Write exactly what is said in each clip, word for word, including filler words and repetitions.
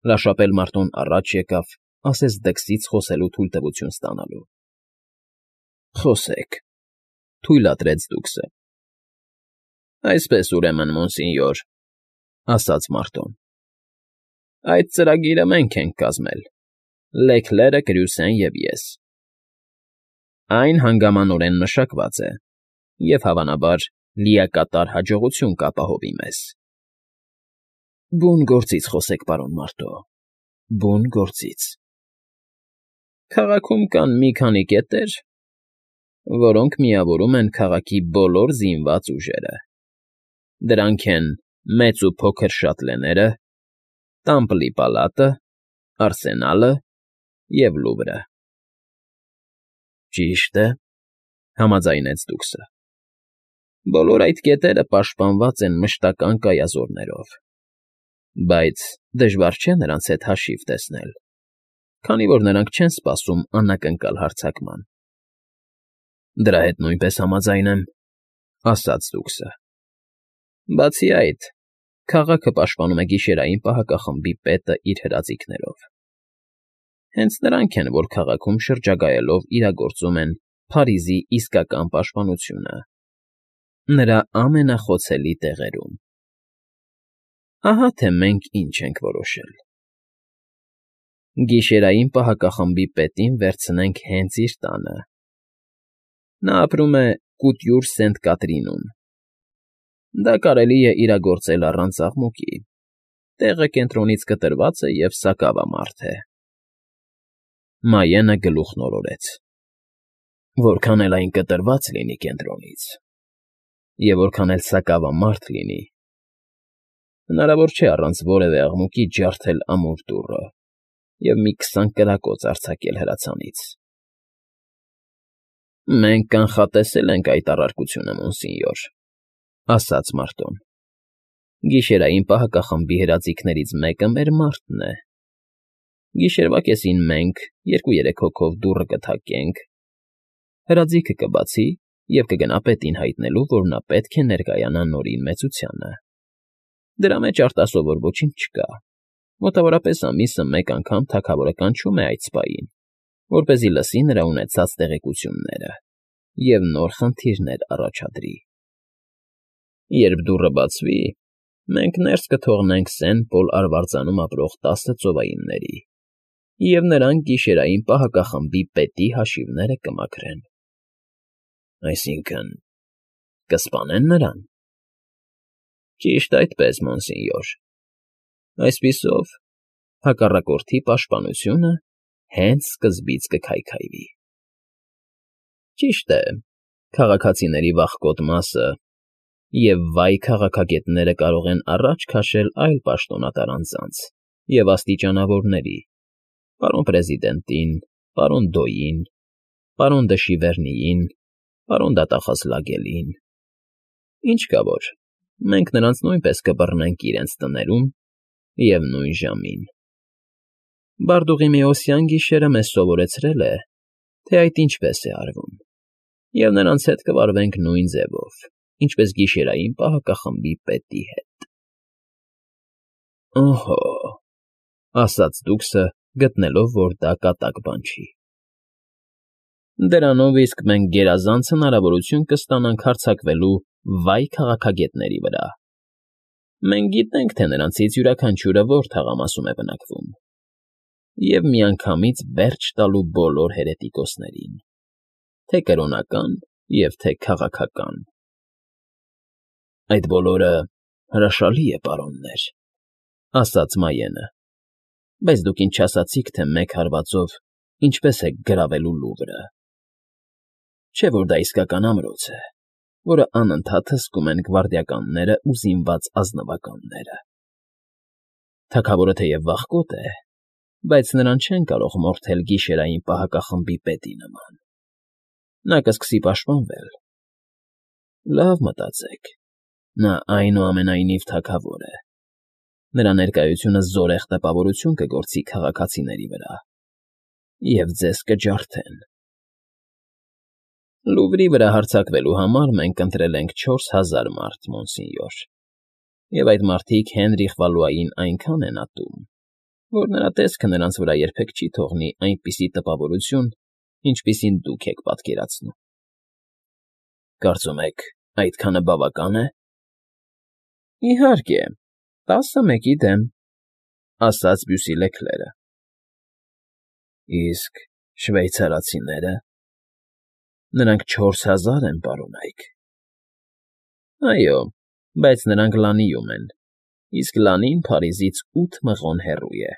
Լաշապել մարդուն առաջ եկավ, ասես դքսից խոսելու թույլտվություն ստանալու։ ֊ Խոսեք,֊ թույլատրեց դուքսը։ ֊ Այսպես, ուրեմն, մոնսինյոր,֊ ասաց Մարտոն,֊ այդ ծրագիրը մենք ենք կազմել, Լեքլերը, Կրյուսեն և ես. այն հանգամանորեն մշակված է և, հավանաբար, լիակատար հաջողություն կապահովի մեզ։ ֊ Բուն գործից խոսեք, պարոն Մարտո, բուն գործից։ ֊ Քաղաքում կան մի քանի կետեր, որոնք միավորում են քաղաքի բոլոր զինված ուժերը. դրանք են Մեծ ու Փոքր Շատլեները, Տամպլի պալատը, Արսենալը և Լուվրը։ ֊ Ճիշտ է,֊ համաձայնեց դուքսը։ Բոլոր այդ կետերը պաշտպանված են մշտական կայազորներով, բայց դժվար չէ նրանց հետ հաշիվ տեսնել, քանի որ նրանք չեն սպասում անակնկալ հարձակման։ ֊ Դրա հետ նույնպես համաձայն եմ,֊ ասաց դուքսը։ Բացի այդ, քաղաքը պաշտպանում է գիշերային պահակախմբի պետը իր հրաձիգներով։ Հենց նրանք են, որ քաղաքում շրջագայելով իրագործում են Փարիզի իսկական պաշտպանությունը, նրա ամենախոցելի տեղերում։ Ահա թե մենք ինչ ենք որոշել. գիշերային պահակախմբի պետին վերցնենք հենց իր տանը։ Նա ապրում է Կուտյուր Սենտ Կատրինում։ Դա կարելի է իրագործել առանց աղմուկի, տեղը կենտրոնից կտրված է և սակավամարդ է։ Մայենը գլուխն օրորեց։ Որքան էլ այն կտրված լինի կենտրոնից, և որքան էլ սակավամարդ լինի, հնարավոր չէ առանց որևէ աղմուկի ջարդել ամուր դուռը և մի քսան կրակոց արձակել հրացանից։ ֊ Մենք կանխատեսել ենք այդ առարկությունը, մոնսինյոր,֊ ասաց Մարտոն։ Գիշերային պահակախմբի հրաձիգներից մեկը մեր մարդն է։ Գիշերվա կեսին մենք, երկու֊երեք հոգով դուռը կթակենք, հրաձիգը կբացի և կգնա պետին հայտնելու, որ նա պետք է ներկայանա նորին մեծությանը։ Դրա մեջ արտասովոր ոչինչ չկա, մոտավորապես ամիսը մեկ անգամ թագավորը կանչում է այդ սպային, որպեսզի լսի նրա ունեցած տեղեկությունները և նոր խնդիրներ առաջադրի։ Երբ դուռը բացվի, մենք ներս կթողնենք Սեն Պոլ արվարձանում ապրող տասը ծովայինների, և նրանք գիշերային պահակախմբի պետի հաշիվները կմաքրեն։ ֊ Այսինքն՝ կսպանե՞ն նրան։ ֊ Ճիշտ այդպես, մոնսինյոր։ Այսպիսով, հակառակորդի պաշտպանությունը հենց սկզբից կքայքայվի։ Ճիշտ է, քաղաքացիների վախկոտ մասը և վայ քաղաքագետները կարող են առաջ քաշել այլ պաշտոնատար անձանց և աստիճանավորների՝ պարոն պրեզիդենտին, պարոն Դոյին, պարոն դը Շիվերնիին, պարոն դատախազ Լագելին։ Ինչ կա որ, մենք նրանց նույնպես կբռնենք իրենց տներում և նույն ժամին։ Բարդուղիմեոսյան գիշերը մեզ սովորեցրել է, թե այդ ինչպես է արվում, և նրանց հետ կվարվենք նույն ձևով, ինչպես գիշերային պահակախմբի պետի հետ։ ֊ Օհո,֊ ասաց դուքսը, գտնելով, որ դա կատակ բան չի։ Դրանով իսկ մենք գերազանց հնարավորություն կստանանք հարձակվելու վայ քաղաքագետների վրա։ Մենք գիտենք, թե նրանցից յուրաքանչյուրը որ թաղամասում է բնակվում, և միանգամից վերջ տալու բոլոր հերետիկոսներին, թե կրոնական և թե քաղաքական։ ֊ Այդ բոլորը հրաշալի է, պարոններ,֊ ասաց Մայենը, բայց դուք ինձ չասացիք, թե մեկ հարվածով ինչպես եք գրավելու Լուվրը։ Չէ՞ որ դա իսկական ամրոց է, որը անընդհատ հսկում են գվարդիականները ու զինված ազնվականները։ Թագավորը թեև վախկոտ է, բայց նրան չեն կարող մորթել գիշերային պահակախմբի պետի նման։ Նա կսկսի պաշտպանվել։ Լավ մտածեք, նա այնուամենայնիվ թագավոր է։ Նրա ներկայությունը զորեղ տպավորություն կգործի քաղաքացիների վրա, և ձեզ կջարդեն։ Լուվրի վրա հարձակվելու համար մենք ընտրել ենք չորս հազար մարդ, մոնսինյոր, և այդ մարդիկ Հենրիխ Վալուային այնքան են ատում, որ նրա տեսքը նրանց վրա երբեք չի թողնի այնպիսի տպավորություն, ինչպիսին դուք եք պատկերացնում։ ֊ Կարծում եք, այդքանը բավական է։ ֊ Իհարկե, տասը մեկի դեմ,֊ ասաց Բյուսիլեքլերը։ ֊ Իսկ շվեյցարացիները… Նրանք չորս հազար են, պարոնայք։ ֊ Այո, բայց նրանք Լանիում են, իսկ Լանին Փարիզից ութ մղոն հեռու է։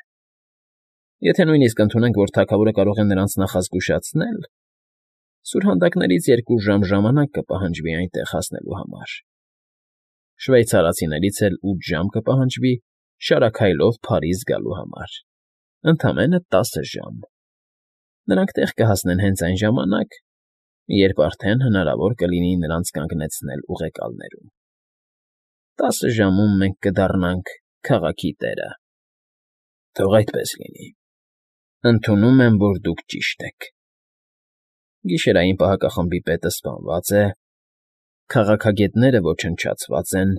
Եթե նույնիսկ ընդունենք, որ թագավորը կարող է նրանց նախազգուշացնել, սուրհանդակներից երկու ժամ ժամանակ կպահանջվի այնտեղ հասնելու համար, շվեյցարացիներից էլ ութ ժամ կպահանջվի շարաքայլով Փարիզ գալու համար, ընդամենը տասը ժամ։ Նրանք տեղ կհասնեն հենց այն ժամանակ, երբ արդեն հնարավոր կլինի նրանց կանգնեցնել ուղեկալներում։ Տասը ժամում մենք կդառնանք քաղաքի տերը։ Թող այդպես լինի։ Ընդունում եմ, որ դուք ճիշտ եք։ Գիշերային պահակախմբի պետը սպանված է, քաղաքագետները ոչնչացված են,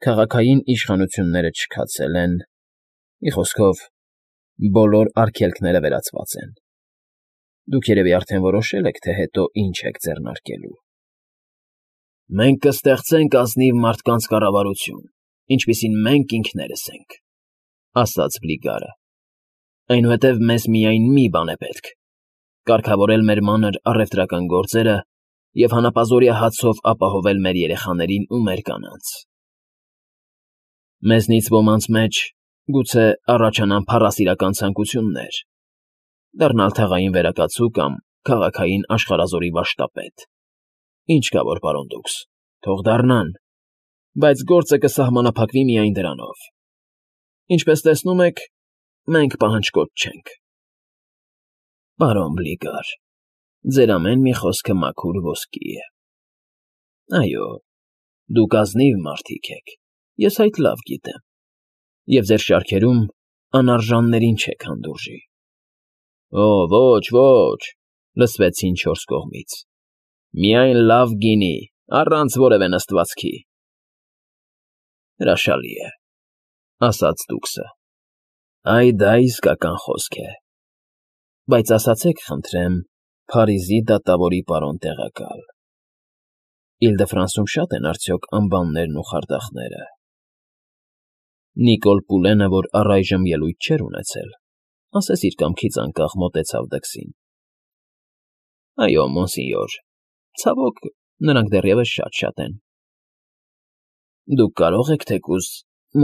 քաղաքային իշխանությունները չքացել են, մի խոսքով, բոլոր արգելքները վերացված են։ Դուք երևի արդեն որոշել եք, թե հետո ինչ եք ձեռնարկելու։ Մենք կստեղծենք ազնիվ մարդկանց կառավարություն, ինչպիսին մենք ինքներս ենք,֊ ասաց Բլիգարը։ Այնուհետև մեզ միայն մի բան է պետք՝ կարգավորել մեր մանր առևտրական գործերը և հանապազօրյա հացով ապահովել մեր երեխաներին ու մեր կանանց։ Մեզնից ոմանց մեջ գուցե առաջանան փառասիրական ցանկություններ՝ դառնալ թաղային վերակացու կամ քաղաքային աշխարհազորի վարժտապետ։ Ինչ կա որ, պարոն դուքս, թող դառնան, բայց գործը կսահմանափակվի միայն դրանով։ Ինչպես տեսնում եք, մենք պահանջկոտ չենք։ Պարոն Բլիգար, ձեր ամեն մի խոսքը մաքուր ոսկի է։ Այո, դուք ազնիվ մարդիկ եք, ես այդ լավ գիտեմ, և ձեր շարքերում անարժաններին չեք հանդուրժի։ Օ, ոչ, ոչ,֊ լսվեցին չորս կողմից։ Միայն լավ գինի, առանց որևէ նստվածքի։ Հրաշալի է,֊ ասաց դուքսը։ Այ դա իսկական խոսք է։ Բայց ասացեք, խնդրեմ, Փարիզի դատավորի պարոն տեղակալ, Իլ֊դը֊Ֆրանսում շա՞տ են արդյոք անբաններն ու խարդախները։ Նիկոլ Պուլենը, որ առայժմ ելույթ չէր ունեցել, ասես իր կամքից անկախ մոտեցավ դքսին։ Այո, մոնսինյոր, ցավոք, նրանք դեռևս շատ֊շատ են։ Դուք կարող եք թեկուզ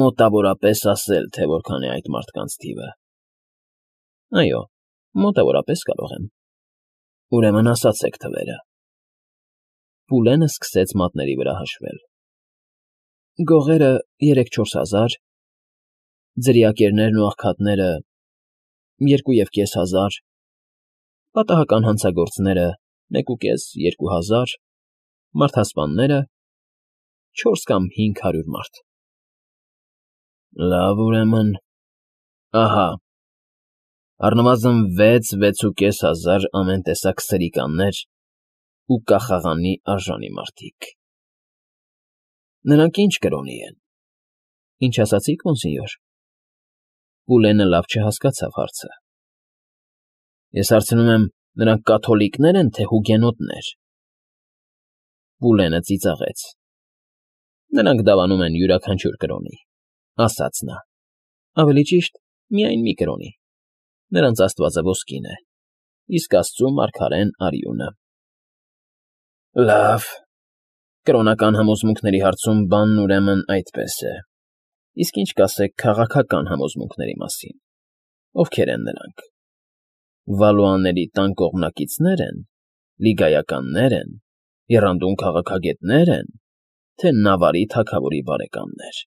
մոտավորապես ասել, թե որքան է այդ մարդկանց թիվը։ Այո, մոտավորապես կարող եմ։ Ուրեմն ասացեք թվերը։ Պուլենը սկսեց մատների վրա հաշվել։ Գողերը երեք֊չորս հազար, ձրիակերներն ու աղքատները երկու և կես հազար, պատահական հանցագործները մեկուկես, երկու հազար, մարդասպանները չորս կամ հինգ հարյուր մարդ։ Լավ, ուրեմն, ահա, առնվազն վեց֊վեցուկես հազար ամեն տեսակ սրիկաններ ու կախաղանի արժանի մարդիկ։ Նրանք ի՞նչ կրոնի են։ Ինչ ասացիք, մոնսինյոր։ Պուլենը լավ չհասկացավ հարցը։ Ես հարցնում եմ, նրանք կաթոլիկնե՞ր են, թե հուգենոտներ։ Պուլենը ծիծաղեց։ Նրանք դավանում են յուրաքանչյուր կրոնի, ասաց նա, ավելի ճիշտ, միայն մի կրոնի։ Նրանց աստվածը ոսկին է, իսկ աստծու մարգարեն արյունը։ Լավ, կրոնական համոզմունքների հարցում բանն ուրեմն այդպես է։ Իսկ ինչ կասեք քաղաքական համոզմունքների մասին, ովքեր են նրանք։ Վալուաների տան կողմնակիցնե՞ր են, լիգայականնե՞ր են, եռանդուն քաղաքագետնե՞ր են, թե Նավարի թագավորի բարեկամներ։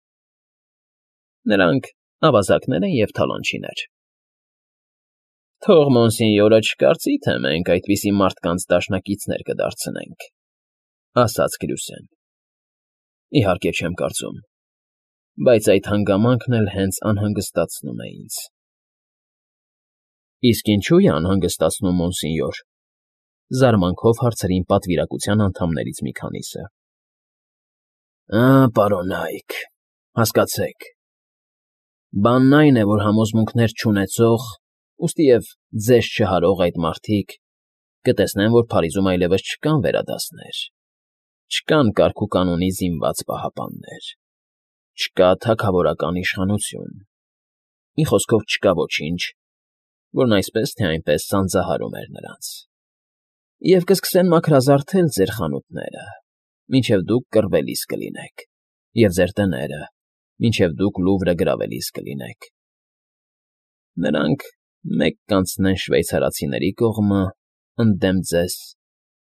Նրանք ավազակներ են և թալանչիներ։ Թող մոնսինյորը չկարծի, թե մենք այդպիսի մարդկանց դաշնակիցներ կդարձնենք,֊ ասաց Գրյուսեն։ Իհարկե չեմ կարծում, բայց այդ հանգամանքն էլ հենց անհանգստացնում է ինձ։ Իսկ ինչո՞ւ է անհանգստացնում, մոնսինյոր,֊ զարմանքով հարցրին պատվիրակության անդամներից մի քանիսը։ Ա, պարոնայք, հասկացեք, Բանն այն է, որ համոզմունքներ չունեցող, ուստիև ձեզ չհարող այդ մարդիկ կտեսնեն, որ Փարիզում այլևս չկան վերադասներ, չկան կարգուկանոնի զինված պահապաններ, չկա թագավորական իշխանություն, մի խոսքով չկա ոչինչ, որն այսպես թե այնպես սանձահարում էր նրանց, և կսկսեն մաքրազարդել ձեր խանութները, մինչև դուք կռվելիս կլինեք, և ձեր տները, մինչև դուք Լուվրը գրավելիս կլինեք. նրանք մեկ կանցնեն շվեյցարացիների կողմը, ընդդեմ ձեզ,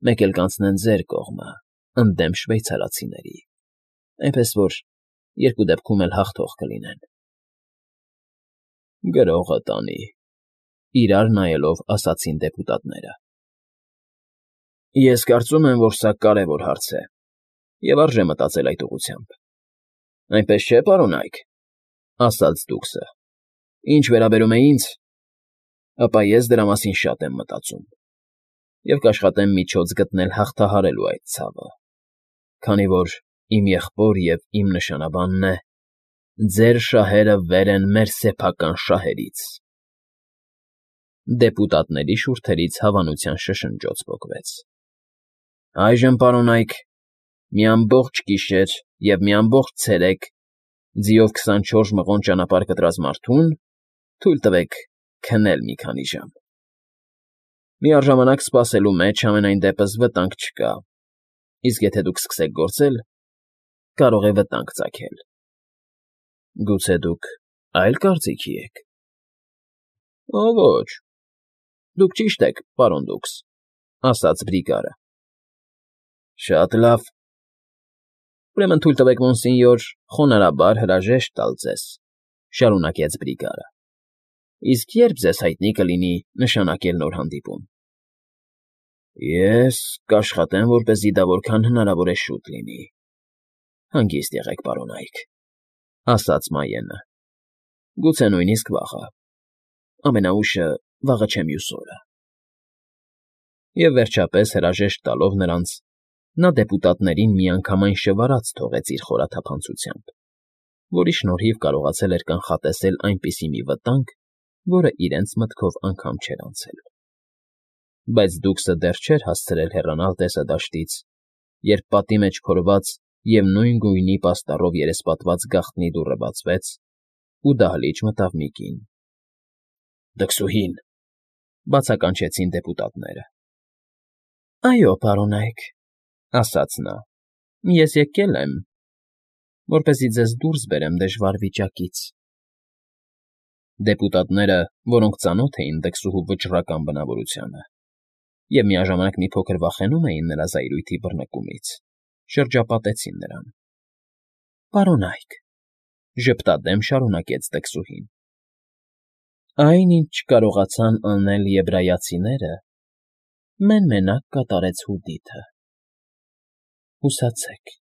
մեկ էլ կանցնեն ձեր կողմը, ընդդեմ շվեյցարացիների, այնպես որ երկու դեպքում էլ հաղթող կլինեն։ ֊ Գրողը տանի,֊ իրար նայելով ասացին դեպուտատները։ ֊ Ես կարծում եմ, որ սա կարևոր հարց է, և արժե մտածել այդ ուղղությամբ։ ֊ Այնպես չէ՞, պարոնայք,֊ ասաց դուքսը։ Ինչ վերաբերում է ինձ, ապա ես դրա մասին շատ եմ մտածում և կաշխատեմ միջոց գտնել հաղթահարելու այդ ցավը, քանի որ իմ եղբոր և իմ նշանաբանն է. ձեր շահերը վեր են մեր սեփական շահերից… Դեպուտատների շուրթերից հավանության շշնջոց պոկվեց։ ֊ Այժմ, պարոնայք, մի ամբողջ գիշեր և մի ամբողջ ցերեկ ձիով քսանչորս մղոն ճանապարհ կտրած մարդուն թույլ տվեք քնել մի քանի ժամ… Միառժամանակ սպասելու մեջ, համենայն դեպս, վտանգ չկա, իսկ եթե դուք սկսեք գործել, կարող է վտանգ ծագել։ ֊ Գուցե դուք այլ կարծիքի եք։ ֊ Օ, ոչ, դուք ճիշտ եք, պարոն դուքս,֊ ասաց Բրիգարը։ ֊ Շատ լավ… Ուրեմն թույլ տվեք, մոնսենյոր, խոնարհաբար հրաժեշտ տալ ձեզ,֊ շարունակեց Բրիգարը։֊ Իսկ ե՞րբ ձեզ հայտնի կլինի նշանակել նոր հանդիպում։ ֊ Ես կաշխատեմ, որպեսզի դա որքան հնարավոր է շուտ լինի։ ֊ Հանգիստ եղեք, պարոնայք,֊ ասաց Մայենը։֊ Գուցե նույնիսկ վաղը, ամենաուշը վաղը չէ մյուս օրը… Եվ վերջապես, հրաժեշտ տալով նրանց, նա դեպուտատներին միանգամայն շվարած թողեց իր խորաթափանցությամբ, որի շնորհիվ կարողացել էր կանխատեսել այնպիսի մի վտանգ, որը իրենց մտքով անգամ չէր անցել։ Բայց դուքսը դեռ չէր հասցրել հեռանալ տեսադաշտից, երբ պատի մեջ փորված և նույն գույնի պաստառով երեսպատված գաղտնի դուռը բացվեց, ու դահլիճ մտավ մի կին։ ֊ Դքսուհի՛ն,֊ բացականչեցին դեպուտատները։ ֊ Այո, պարոնայք,֊ ասաց նա,֊ ես եկել եմ, որպեսզի ձեզ դուրս բերեմ դժվար վիճակից… Դեպուտատները, որոնք ծանոթ էին դքսուհու վճռական բնավորությանը և միաժամանակ մի փոքր վախենում էին նրա զայրույթի բռնկումից, շրջապատեցին նրան։ ֊ Պարոնայք,֊ ժպտադեմ շարունակեց դքսուհին,֊ այն, ինչ չկարողացան անել եբրայացիները, մեն֊մենակ կատարեց Հուդիթը… Հուսացեք,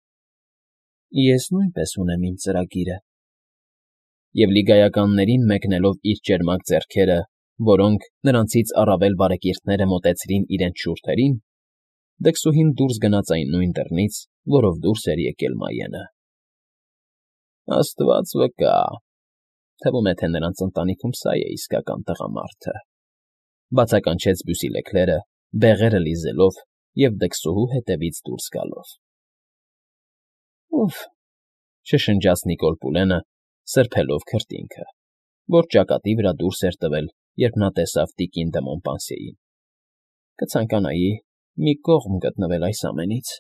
ես նույնպես ունեմ իմ ծրագիրը… Եվ լիգայականներին մեկնելով իր ճերմակ ձեռքերը, որոնք, նրանցից առավել բարեկիրթները մոտեցրին իրենց շուրթերին, դքսուհին դուրս գնաց այն նույն դռնից, որով դուրս էր եկել Մայենը։ ֊ Աստված վկա, թվում է, թե նրանց ընտանիքում սա է իսկական տղամարդը,֊ բացականչեց Բյուսիլեքլերը, բեղերը լիզելով և դքսուհու հետևից դուրս գալով։ ֊ Ուֆ,֊ շշնջաց Նիկոլ Պուլենը, սրբելով քրտինքը, որ ճակատի վրա դուրս էր տվել, երբ նա տեսավ տիկին դը Մոնպանսիեին,֊ կցանկանայի մի կողմ գտնվել այս ամենից։